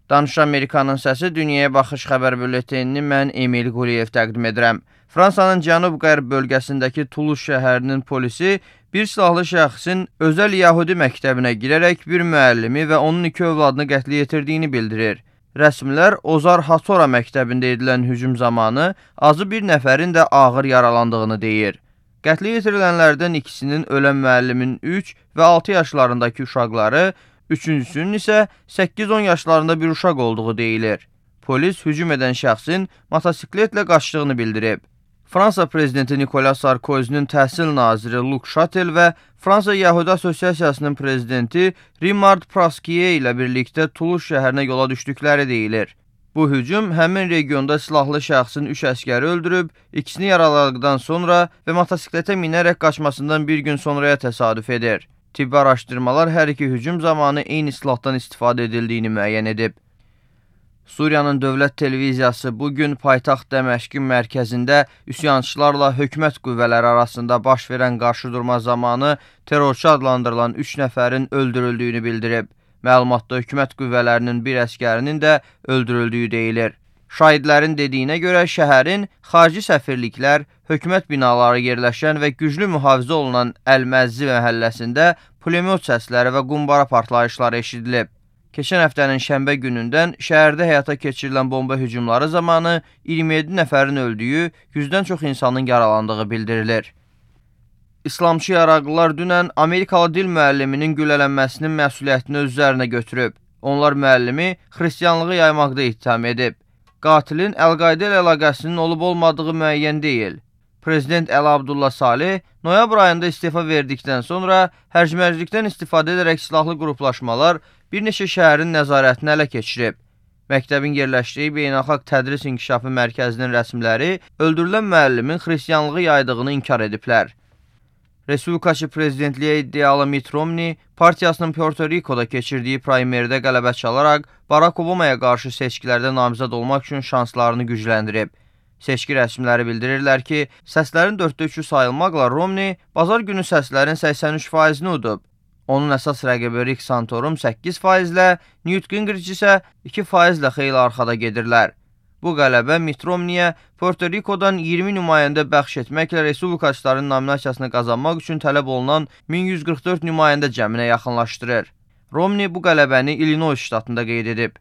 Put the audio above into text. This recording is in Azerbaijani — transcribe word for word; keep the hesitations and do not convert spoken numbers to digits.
Danış Amerikanın səsi Dünyaya Baxış xəbər bülletenini mən Emil Quliyev təqdim edirəm. Fransanın cənub-qərb bölgəsindəki Toulouse şəhərinin polisi bir silahlı şəxsin özəl Yahudi məktəbinə girərək bir müəllimi və onun iki övladını qətlə yetirdiyini bildirir. Rəsmilər Ozar Hatora məktəbində edilən hücum zamanı azı bir nəfərin də ağır yaralandığını deyir. Qətlə yetirilənlərdən ikisinin ölən müəllimin üç və altı yaşlarındakı uşaqları, üçüncüsünün isə səkkiz on yaşlarında bir uşaq olduğu deyilir. Polis hücum edən şəxsin motosikletlə qaçdığını bildirib. Fransa prezidenti Nicolas Sarkozy'nin təhsil naziri Luc Chatel və Fransa Yahudi Asosiasiyasının prezidenti Rimard Praskiye ilə birlikdə Toulouse şəhərinə yola düşdükləri deyilir. Bu hücum həmin regionda silahlı şəxsin üç əskəri öldürüb, ikisini yaraladıqdan sonra və motosikletə minərək qaçmasından bir gün sonraya təsadüf edir. Tibbi araşdırmalar hər iki hücum zamanı eyni silahdan istifadə edildiyini müəyyən edib. Suriyanın dövlət televiziyası bugün paytaxt Dəməşqin mərkəzində üsyançılarla hökumət qüvvələri arasında baş verən qarşıdurma zamanı terrorçu adlandırılan üç nəfərin öldürüldüyünü bildirib. Məlumatda hökumət qüvvələrinin bir əskərinin də öldürüldüyü deyilir. Şahidlərin dediyinə görə şəhərin xarici səfirliklər, hökumət binaları yerləşən və güclü mühafizə olunan Əl-Məzzi məhəlləsində pulemyot səsləri və qumbara partlayışları eşidilib. Keçən həftənin şənbə günündən şəhərdə həyata keçirilən bomba hücumları zamanı iyirmi yeddi nəfərin öldüyü, yüzdən çox insanın yaralandığı bildirilir. İslamçı yaraqlılar dünən Amerikalı dil müəlliminin güllələnməsinin məsuliyyətini öz üzərinə götürüb. Onlar müəllimi xristiyanlığı yaymaqda ittiham edib. Qatilin Əl-Qayda ilə əlaqəsinin olub-olmadığı müəyyən deyil. Prezident Əli Abdullah Saleh noyabr ayında istefa verdikdən sonra hərcmərclikdən istifadə edərək silahlı qruplaşmalar bir neçə şəhərin nəzarətini ələ keçirib. Məktəbin yerləşdiyi Beynəlxalq Tədris İnkişafı Mərkəzinin rəsmiləri öldürülən müəllimin xristiyanlığı yaydığını inkar ediblər. Respublikaçı prezidentliyə iddialı Mitt Romney partiyasının Puerto Rico'da keçirdiyi primerdə qələbə çalaraq Barack Obama'ya qarşı seçkilərdə namizəd olmaq üçün şanslarını gücləndirib. Seçki rəsmiləri bildirirlər ki, səslərin dörddə üçü sayılmaqla Romney bazar günü səslərin səksən üç faizini udub. Onun əsas rəqibi Rick Santorum səkkiz faizlə, Newt Gingrich isə iki faizlə xeyli arxada gedirlər. Bu qələbə Mitt Romney'ə Puerto Rico'dan iyirmi nümayəndə bəxş etməklə respublikaçıların nominasiyasını qazanmaq üçün tələb olunan min yüz qırx dörd nümayəndə cəminə yaxınlaşdırır. Romney bu qələbəni Illinois ştatında qeyd edib.